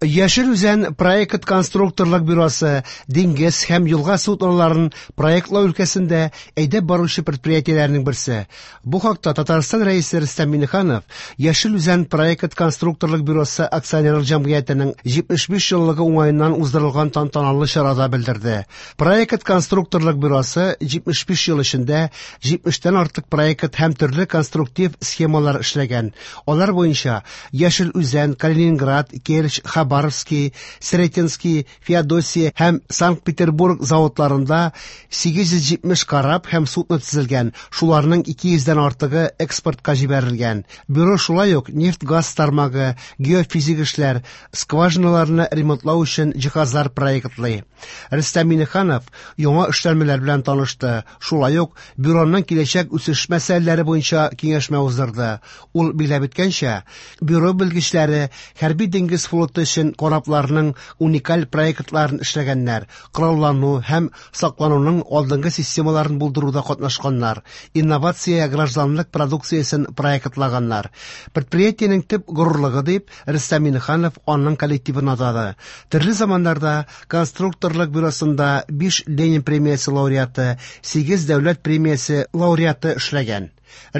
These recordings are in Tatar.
Яшел Үзән проект конструкторлык бюросы диңгез һәм елга судноларын проектлау өлкәсендә әйдәп баручы предприятиеләрнең берсе. Бу хакта Татарстан Рәисе Рөстәм Миңнеханов Яшел Үзән проект конструкторлык бюросы акционерлык җәмгыятенең 75 еллыгы уңаеннан уздырылган тантаналы чарада белдерде. Проект конструкторлык бюросы 75 ел эчендә 70тән артык проект һәм төрле конструктив схемалар эшләгән. Алар буенча Яшел Үзән, Калининград, Керчь, Хабаровский, Сретенский, Феодосия һәм Санкт-Петербург заводларында 870 кораб һәм судно төзелгән, шуларның 200дән артыгы экспортка җибәрелгән. Бюро шулай ук нефть-газ тармагы, геофизик эшләр, скважиналарны ремонтлау өчен җиһазлар проектлый. Рөстәм Миңнеханов яңа эшләнмәләр белән танышты. Шулай ук бюроның киләчәк үсеш мәсьәләләре буенча киңәшмә уздырды. Ул билгеләп үткәнчә, бюро белгечләре хәрби диңгез флоты өчен корабларның уникаль проектларын эшләгәннәр, кораллану һәм саклануның алдынгы системаларын булдыруда катнашканнар, инновация гражданлык продукциясен проектлаганнар. Предприятиенең төп горурлыгы дип Рөстәм Миңнеханов аның коллективын атады. Төрле заманнарда конструкторлык бюросында 5 Ленин премиясе лауреаты, 8 дәүләт премиясе лауреаты эшләгән.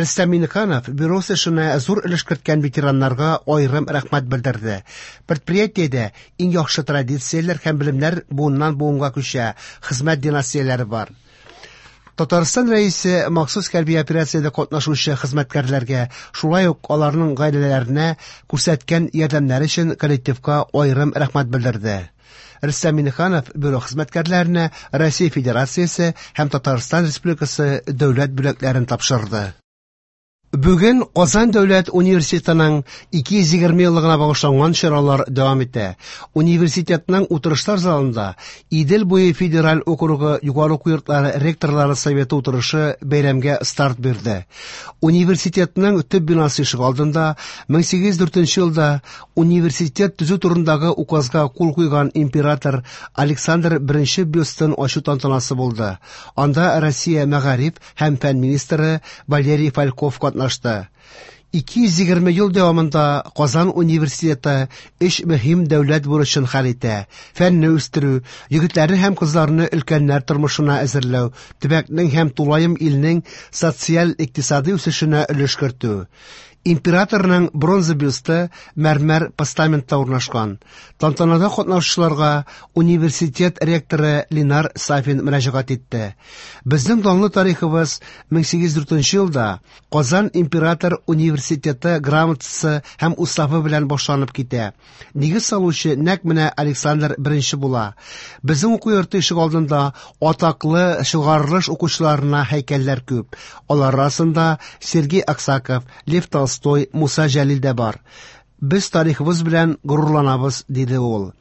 Рөстәм Миңнеханов бюро эшенә зур өлеш керткән ветераннарга аерым рәхмәт белдерде. Предприятиедә иң яхшы традицияләр һәм белемнәр буыннан буынга күчә, хезмәт династияләре бар. Татарстан Рәисе махсус хәрби операциядә катнашучы хезмәткәрләргә, шулай ук аларның гаиләләренә күрсәткән ярдәмнәре өчен коллективка аерым рәхмәт белдерде. Рөстәм Миңнеханов бюро хезмәткәрләренә Россия Федерациясе һәм Татарстан Республикасы дәүләт бүләкләрен тапшырды. Бүген Казан дәүләт университетының 220 еллыгына багышланган чаралар дәвам итә. Университетның утырышлар залында Идел буе федераль округы югары уку йортлары ректорлары советы утырышы бәйрәмгә старт бирде. Университетның төп бинасы ишегалдында 1804 елда университет төзү турындагы указга кул куйган император Александр I бюстын ачу тантанасы булды. Анда Россия мәгариф һәм фән министры Валерий Фальков катнашты. 220 ел дәвамында Казан университеты өч мөһим дәүләт бурычын хәл итә: фәнне үстерү, егетләрне һәм кызларны өлкәннәр тормышына әзерләү, төбәкнең һәм тулаем илнең социаль-икътисади үсешенә өлеш кертү. Императорның бронза бюсты мәрмәр постаментта урнашкан. Тантанада катнашучыларга университет ректоры Ленар Сафин мөрәҗәгать итте. Безнең данлы тарихыбыз 1804 елда Казан император университеты грамотасы һәм уставы белән башланып китә. Нигез салучы нәкъ менә Александр I була. Безнең уку йорты ишегалдында атаклы чыгарылыш укучыларына һәйкәлләр күп. Алар арасында Сергей Аксаков, Лев Толстой, Муса Җәлил дә бар. Без тарихыбыз белән горурланабыз, диде ул.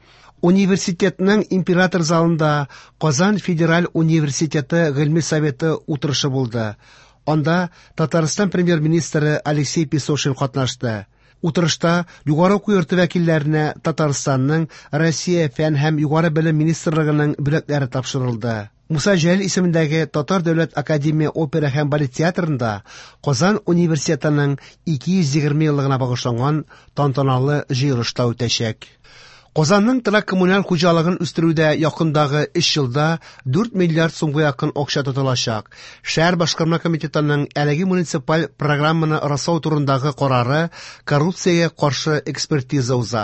Университетның император залында Казан федераль университеты гыйльми советы утырышы булды. Анда Татарстан премьер-министры Алексей Песошин катнашты. Утырышта югары уку йорты вәкилләренә Татарстанның Россия фән һәм югары белем министрлыгының бүләкләре тапшырылды. Муса Җәлил исемендәге Татар дәүләт академия опера һәм балет театрында Казан университетының 220 еллыгына багышланган тантаналы җыелыш та үтәчәк. Казанның торак коммуналь хуҗалыгын үстерүдә якындагы 3 елда 4 миллиард сумга якын акча тотылачак. Шәһәр башкарма комитетының әлеге муниципаль программаны раслау турындагы карары коррупциягә каршы экспертиза уза.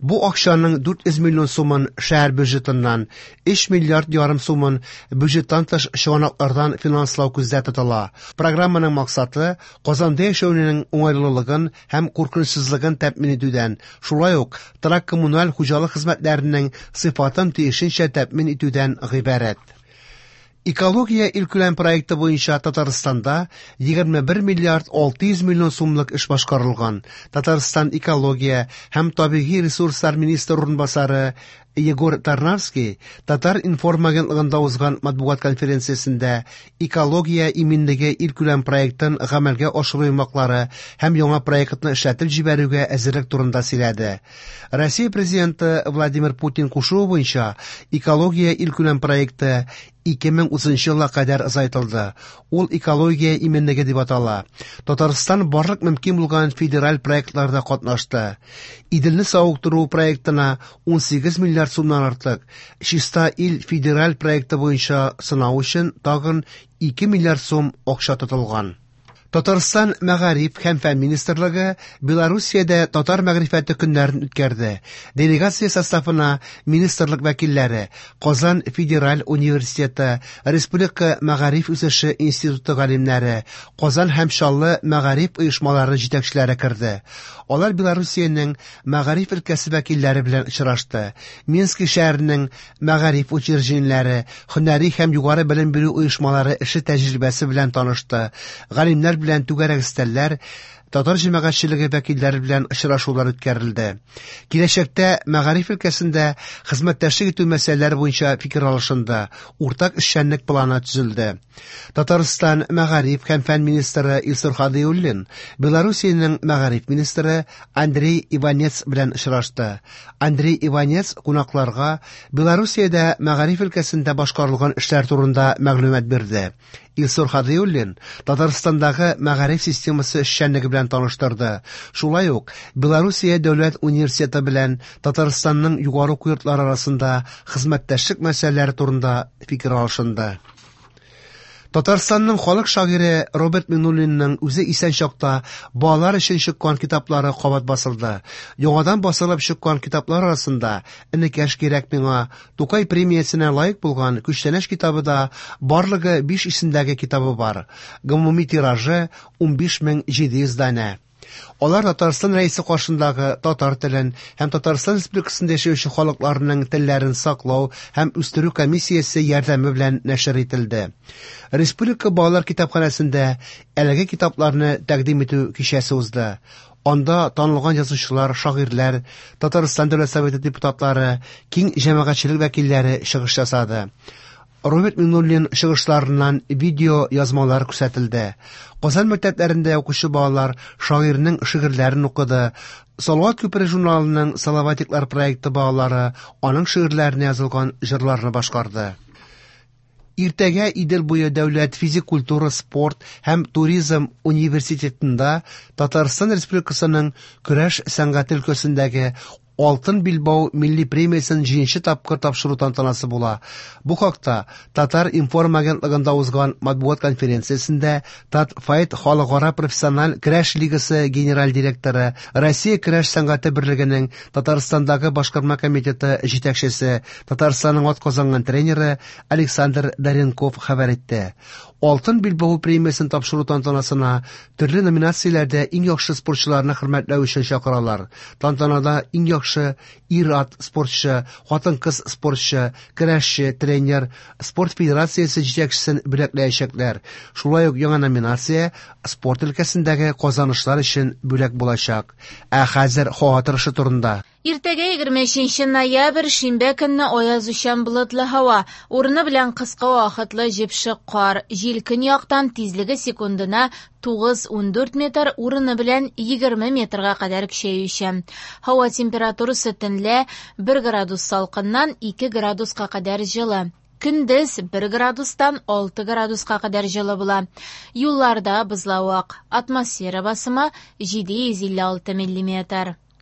Бу акчаның 400 миллион сумын шәһәр бюджетыннан, 3 миллиард ярым сумын бюджеттан тыш чыганаклардан финанслау күздә тотыла. Программаның максаты Казанда яшәүнең уңайлылыгын һәм куркынычсызлыгын тәэмин итүдән, шулай ук торак коммуналь хуҗалык хезмәтләренең сыйфатын тиешенчә тәэмин итүдән гыйбарәт. Экология илкүләм проекты буенча Татарстанда 21 миллиард 600 миллион сумлык эш башкарылган. Татарстан экология һәм табигый ресурслар министры урынбасары Егор Тарнавский Татар-информ агентлыгында узган матбугат конференциясендә экология иминлеге илкүләм проектын гамәлгә ашыру йомгаклары һәм яңа проектны эшләтеп җибәрүгә әзерлек турында сөйләде. Россия президенты Владимир Путин кушуы буенча экология илкүләм проекты 2030 елга кадәр озайтылды. Ул экология иминлеге дип атала. Татарстан барлык мөмкин булган федераль проектларда катнашты. Иделне савыктыру проектына 18 миллиард сумнан артык, Чиста ил федераль проекты буенча сынау өчен тагын 2 миллиард сум акча тотылган. Татарстан Мәгариф һәм фән министрлыгы Белоруссиядә татар мәгърифәте көннәрен үткәрде. Делегация составына министрлык вәкилләре, Казан федераль университеты, Республика мәгариф үсеше институты галимнәре, Казан һәм Чаллы мәгариф оешмалары җитәкчеләре керде. Алар Белоруссиянең мәгариф өлкәсе вәкилләре белән очрашты. Минск шәһәренең мәгариф учреждениеләре, һөнәри һәм югары белем бирү оешмалары эше тәҗрибәсе белән танышты. Галимнәр белән түгәрәк өстәлләр, татар җәмәгатьчелеге вәкилләре белән очрашулар үткәрелде. Киләчәктә мәгариф өлкәсендә хезмәттәшлек итү мәсьәләләре буенча фикер алышынды, уртак эшчәнлек планы төзелде. Татарстан мәгариф һәм фән министры Илсур Һадиуллин Белоруссиянең мәгариф министры Андрей Иванец белән очрашты. Андрей Иванец кунакларга Белоруссиядә мәгариф өлкәсендә башкарылган эшләр турында мәгълүмат бирде. Илсур Һадиуллин Татарстандагы мәгариф системасы эшчәнлеге белән таныштырды. Шулай ук Белоруссия дәүләт университеты белән Татарстанның югары уку йортлары арасында хезмәттәшлек мәсьәләләре турында фикер алышынды. Татарстанның халык шагыйре Роберт Миңнуллинның үзе исән чакта балалар өчен чыккан китаплары кабат басылды. Яңадан басылып чыккан китаплар арасында Энекәш кирәк миңа, Тукай премиясенә лаек булган Күчтәнәч китабы да барлыгы 5 исемдәге китабы бар. Гомуми тиражы 15700 данә. Алар Татарстан Рәисе каршындагы татар телен һәм Татарстан Республикасында яшәүче халыкларының телләрен саклау һәм үстерү комиссиясе ярдәме белән нәшер ителде. Республика балалар китапханәсендә әлеге китапларны тәкъдим итү кичәсе узды. Анда танылган язучылар, шагыйрьләр, Татарстан Дәүләт Советы депутатлары, киң җәмәгатьчелек вәкилләре чыгыш ясады. Роберт Миңнуллин чыгышларыннан видео язмалар күрсәтелде. Казан мәктәпләрендә укучы балалар шагыйрьнең шигырьләрен укыды. Салават күпере журналының Салаватиклар проекты балалары аның шигырьләренә язылган җырларны башкарды. Иртәгә Идел буе дәүләт физик культура, спорт һәм туризм университетында Татарстан Республикасының көрәш сәнгате өлкәсендәге Алтын билбау милли премиясен җиденче тапкыр тапшыру тантанасы була. Бу хакта Татар-информ агентлыгында узган матбугат конференциясендә Татфайт халыкара профессиональ көрәш лигасы генераль директоры, Россия көрәш сәнгате берлегенең Татарстандагы башкарма комитеты җитәкчесе, Татарстанның атказанган тренеры Александр Даренков хәбәр итте. Алтын билбау премиясен тапшыру тантанасына төрле номинацияләрдә иң яхшы спортчыларны хөрмәтләү өчен чакыралар. Тантанада иң яхшы ир-ат спортчы, хатын-кыз спортчы, көрәшче, тренер, спорт федерациясе җитәкчесен бүләкләячәкләр. Шулай ук яңа номинация спорт өлкәсендәге казанышлар өчен бүләк булачак. Ә хәзер һава торышы турында. Иртәгә 23 ноябрь шимбә көнне аязучан болытлы һава, урыны белән кыска вакытлы җепшек кар, җил көньяктан тизлеге секундына 9-14 метр, урыны белән 20 метрга кадәр көчәючән. Һава температурасы төнлә 1 градус салкыннан 2 градуска кадәр җылы. Көндез 1 градустан 6 градуска кадәр җылы була. Юлларда бозлавык. Атмосфера басымы 756 миллиметр.